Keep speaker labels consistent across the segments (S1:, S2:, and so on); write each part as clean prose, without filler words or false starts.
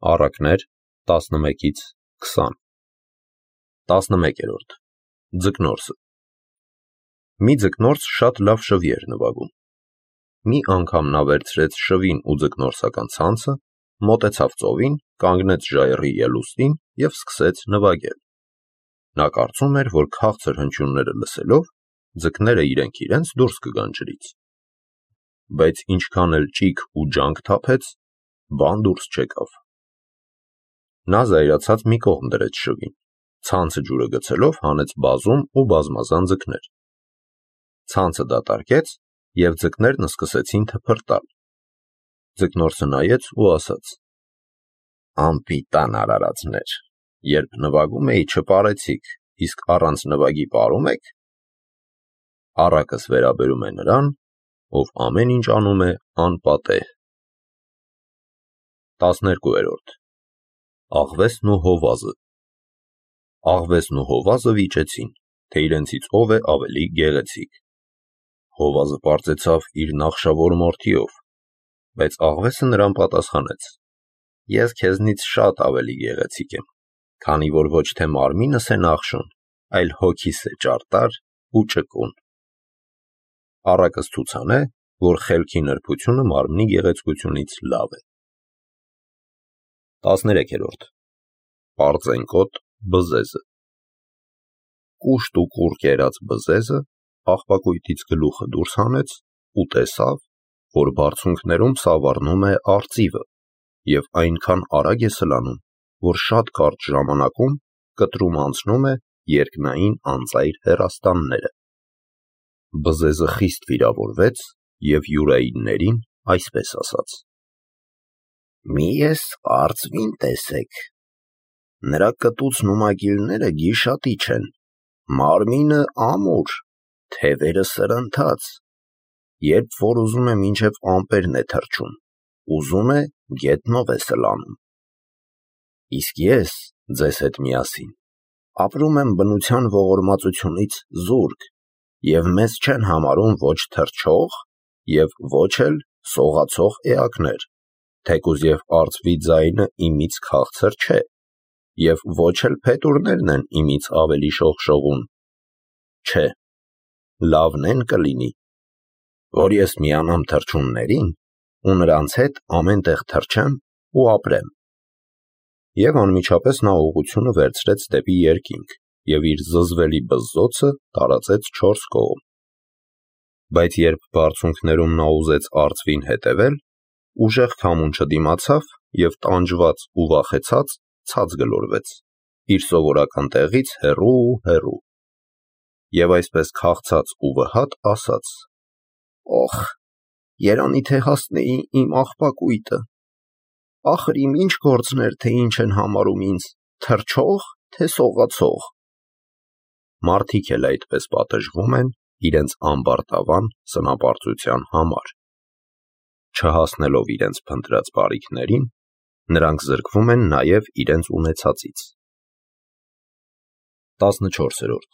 S1: Առակներ 11-ից 20 11-րդ Ձկնորսը Մի ձկնորս շատ լավ շվի էր նվագում։ Մի անգամ նա վերցրեց շվին ու ձկնորսական ցանցը, մոտեցավ ծովին, կանգնեց ժայռի ելուստին և սկսեց նվագել։ Նա կարծում էր, որ քաղցր հնչյունները լսելով, ձկները իրենք դուրս կգան ջրից։ Բայց ինչքան էլ ճիգ ու ջանք թափեց, բան դուրս չեկավ։ Նա զայրացած մի կողմ դրեց շվին, ցանցը ջուրը գցելով հանեց բազում ու բազմազան ձկներ։ Ցանցը դատարկեց, և ձկներն սկսեցին թփրտալ։ Ձկնորսը նայեց ու ասաց. «Անպիտան արարածներ, երբ նվագում էի չպարեցիք, իսկ առանց նվագի պարում եք»։ Առակս վերաբերում է նրան, ով ամեն ինչ անում է անպատեհ։ 12-րդ Աղվեսն ու հովազը Աղվեսն ու հովազը վիճեցին, թե իրենցից ով է ավելի գեղեցիկ։ Հովազը պարծեցավ իր նախշավոր մորթիով, բայց աղվեսը նրան պատասխանեց. «Ես քեզնից շատ ավելի գեղեցիկ եմ, քանի որ ոչ թե մարմինս է նախշում, այլ հոգիս է ճարտար ու ճկուն»։ Առակս ցուցանե, որ խելքի նրբությունը մարմնի գեղեցկությունից լավ է։ 13-րդ Պարծենկոտ բզեզը Կուշտ ու կուռ կերած բզեզը աղբակույտից գլուխը դուրս հանեց ու տեսավ, որ բարձունքներում սավառնում է արծիվը և այնքան արագ է սլանում, որ շատ կարճ ժամանակում կտրում անցնում է երկնային անծայր հեռաստանները։ Բզեզը խիստ վիրավորվեց և յուրայիններին այսպես ասաց. «Մի էս արծվին տեսեք, նրա կտուցն ու մագիլները գիշատիչ են, մարմինը ամուր, թևերը սրընթաց, երբ որ ուզում է մինչև ամպերն է թռչում, ուզում է գետնով է սլանում։ Իսկ ես ձեզ հետ միասին ապրում եմ բնության ողորմածությունից զուրկ, և մեզ չեն համարում ոչ թռչող և ոչ էլ սողացող էակներ, թեկուզ և արծվի ձայնը իմից քաղցր չէ, և ոչ էլ փետուրներն են իմից ավելի շողշողուն։ Չէ, լավն են կլինի, որ ես միանամ թռչուններին ու նրանց հետ ամեն տեղ թռչեմ ու ապրեմ»։ Եվ անմիջապես նա ուղղությունը վերցրեց դեպի երկինք և իր զզվելի բզզոցը տարածեց 4 կողմ։ Բայց երբ բարձունքներում նա ուզեց արծվին հետևել, ուժեղ քամուն չդիմացավ և տանջված ու վախեցած ցած գլորվեց, իր սովորական տեղից հեռու։ Եվ այսպես քաղցած ու վհատ ասաց. «Օխ, երանի թե հասնեի իմ աղբակույտը, ախր իմ ինչ գործն էր, թե ինչ են համարում ինձ, թռչող, թե սողացող»։ Մարդիկ էլ այդպես պատժվում են իրենց ամբարտավան սնապարծության համար։ Չհասնելով իրենց փնտրած բարիքներին, նրանք զրկվում են նաև իրենց ունեցածից։ 14-րդ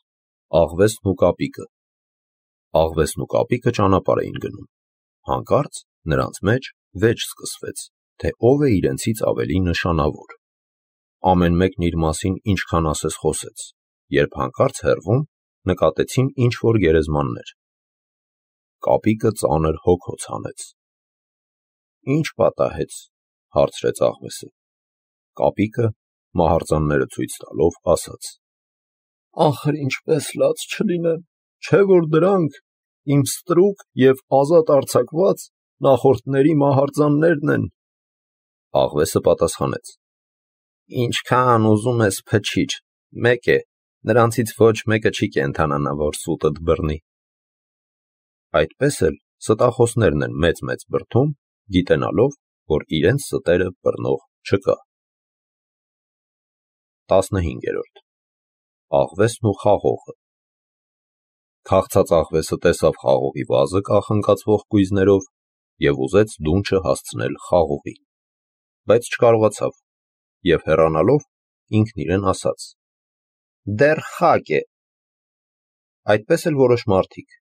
S1: Աղվեսն ու կապիկը Աղվեսն ու կապիկը ճանապարհ էին գնում։ Հանկարծ նրանց մեջ վեճ սկսվեց, թե ով է իրենցից ավելի նշանավոր։ Ամեն մեկն իր մասին ինչքան ասես խոսեց, երբ հանկարծ հեռվում նկատեցին ինչ-որ գերեզմաններ։ Կապիկը ծանր հոգոց հանեց։ «Ի՞նչ պատահեց», հարցրեց աղվեսը։ Կապիկը մահարձանները ցույց տալով ասաց. «Ախր ինչպես լաց չլինեմ, չէ՞ որ դրանք իմ ստրուկ և ազատ արձակված նախորդների մահարձաններն են»։ Աղվեսը պատասխանեց. «Ինչքան ուզում ես փչիր, մեկ է, նրանցից ոչ մեկը չի կենդանանա, որ սուտդ բռնի»։ Այդպես էլ ստախոսներն են մեծ բրդում, գիտենալով, որ իրենց ստերը բռնող չկա։ 15-րդ Աղվեսն ու խաղողը Քաղցած աղվեսը տեսավ խաղողի վազը կախնկացվող կույզերով և ուզեց դունչը հասցնել խաղողին, բայց չկարողացավ և հեռանալով ինքն իրեն ասաց. «Դեռ խակ է»։ Այդպես էլ որոշ մարդիկ,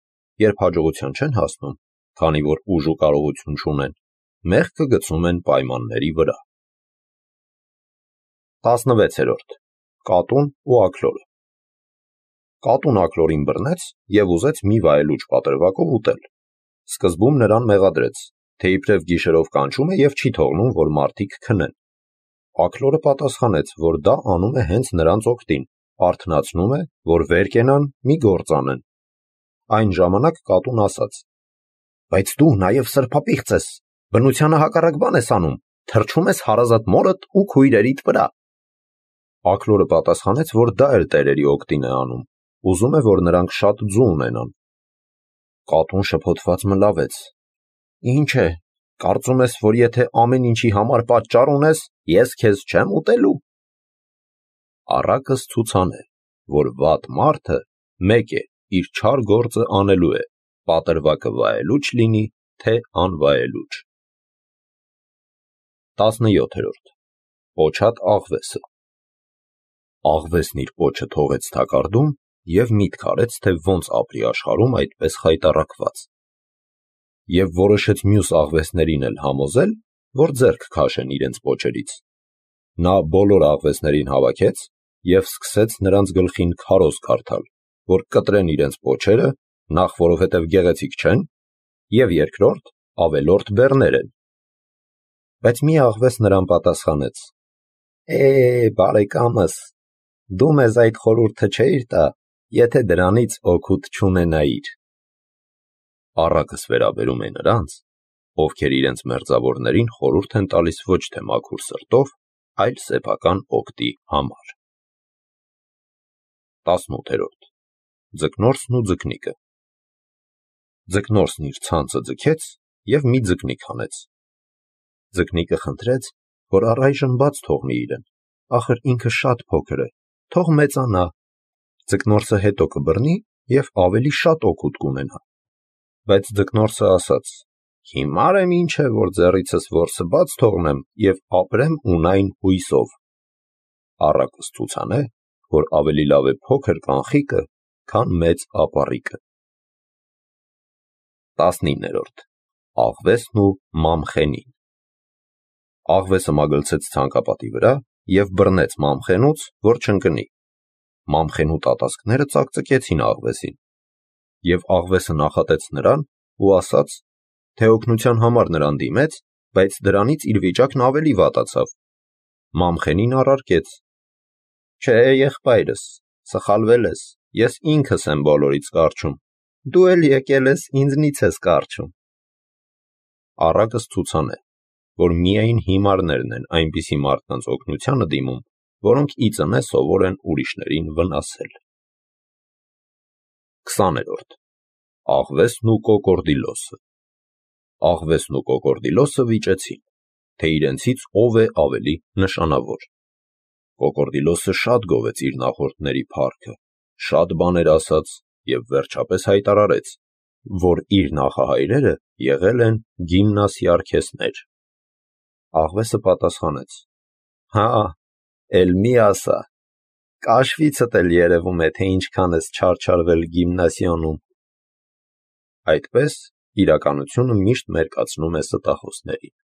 S1: երբ հաջողության չեն հասնում, քանի որ ուժ ու կարողություն չունեն, մեղքը գցում են պայմանների վրա։ 16-րդ. Կատուն ու աքլորը։ Կատուն աքլորին բռնեց և ուզեց մի վայելուչ պատրվակով ուտել։ Սկզբում նրան մեղադրեց, թե իբրև գիշերով կանչում է և չի թողնում, որ մարդիկ քնեն։ Աքլորը պատասխանեց, որ դա անում է հենց նրանց օգտին, արթնացնում է, որ վեր կենան, մի գործ անեն։ Այն ժամանակ կատուն ասաց. «Բայց դու նաև սրբապիղծ ես, բնությանը հակառակ բան ես անում, թռչում ես հարազատ մորդ ու քույրերիդ վրա»։ Աքլորը պատասխանեց, որ դա էլ տերերի օգտին է անում, ուզում է, որ նրանք շատ ձու ունենան։ Կատուն շփոթված մլավեց. «Ինչ է, կարծում ես, որ եթե ամեն ինչի համար պատճառ ունես, ես քեզ չեմ ուտելու»։ Առակս ցուցան է, որ վատ մարդը մեկ է, իր չար գործը անելու է, պատրվակը վայելուչ լինի, թե անվայելուչ։ 17-րդ. Պոչած աղվեսը։ Աղվեսն իր պոչը թողեց թակարդում և միտք արեց, թե ոնց ապրի աշխարհում այդպես խայտառակված։ Եվ որոշեց մյուս աղվեսներին էլ համոզել, որ ձեռք քաշեն իրենց պոչերից։ Նա բոլոր աղվեսներին հավաքեց և սկսեց նրանց գլխին քարոզ քարթալ, որ կտրեն իրենց պոչերը, նախ որովհետև գեղեցիկ չեն, և երկրորդ ավելորդ բեռներ են։ Բայց մի աղվես նրան պատասխանեց. բարեկամս, դու մեզ այդ խորհուրդը չէիր տա, եթե դրանից օգուտ չունենայիր։ Առակս վերաբերում է նրանց, ովքեր իրենց մերձավորներին խորհուրդ են տալիս ոչ թե մաքուր սրտով, այլ սեփական օգտի համար։ 18-րդ. Ձկնորսն ու ձկնիկը։ Ձկնորսն իր ցանցը ձգեց և մի ձկնիկ հանեց։ Ձկնիկը խնդրեց, որ առայժմ բաց թողնի իրեն, ախր ինքը շատ փոքր է, թող մեծանա, ձկնորսը հետո կբռնի և ավելի շատ օգուտ կունենա։ Բայց ձկնորսը ասաց. «Հիմար եմ ինչ է, որ ձեռիցս որսը բաց թողնեմ և ապրեմ ունայն հույսով»։ Առակս ցուցան է, որ ավելի լավ է փոքր կանխիկը, քան մեծ ապառիկը։ 19-րդ. Աղվեսն ու մամխենին։ Աղվեսը մագլցեց ցանկապատի վրա և բռնեց մամխենուց, որ չընկնի։ Մամխենու տատասկները ծակծկեցին աղվեսին։ Եվ աղվեսը նախատեց նրան ու ասաց, թե օգնության համար նրան դիմեց, բայց դրանից իր վիճակն ավելի վատացավ։ Մամխենին առարկեց. «Չէ, եղբայրս, սխալվել ես, ես ինքս եմ բոլորից կառչում, դու էլ եկել ես ինձնից ես կառչում»։ Առակս ցուցան է, որ միայն հիմարներն են այնպիսի մարդկանց օգնությանը դիմում, որոնք ի ծնե սովոր են ուրիշներին վնասել։ 20-րդ. Աղվեսն ու կոկորդիլոսը։ Աղվեսն ու կոկորդիլոսը վիճեցին, թե իրենցից ով է ավելի նշանավոր։ Կոկորդիլոսը շատ գովեց իր նախորդների փառքը, շատ բաներ ասաց և վերջապես հայտարարեց, որ իր նախահայրերը եղել են գիմնասիարքեսներ։ Աղվեսը պատասխանեց. «Հա, էլ մի ասա, կաշվիցդ էլ երևում է, թե ինչքան ես չարչարվել գիմնասիոնում»։ Այդպես իրականությունը միշտ մերկացնում է ստախոսներին։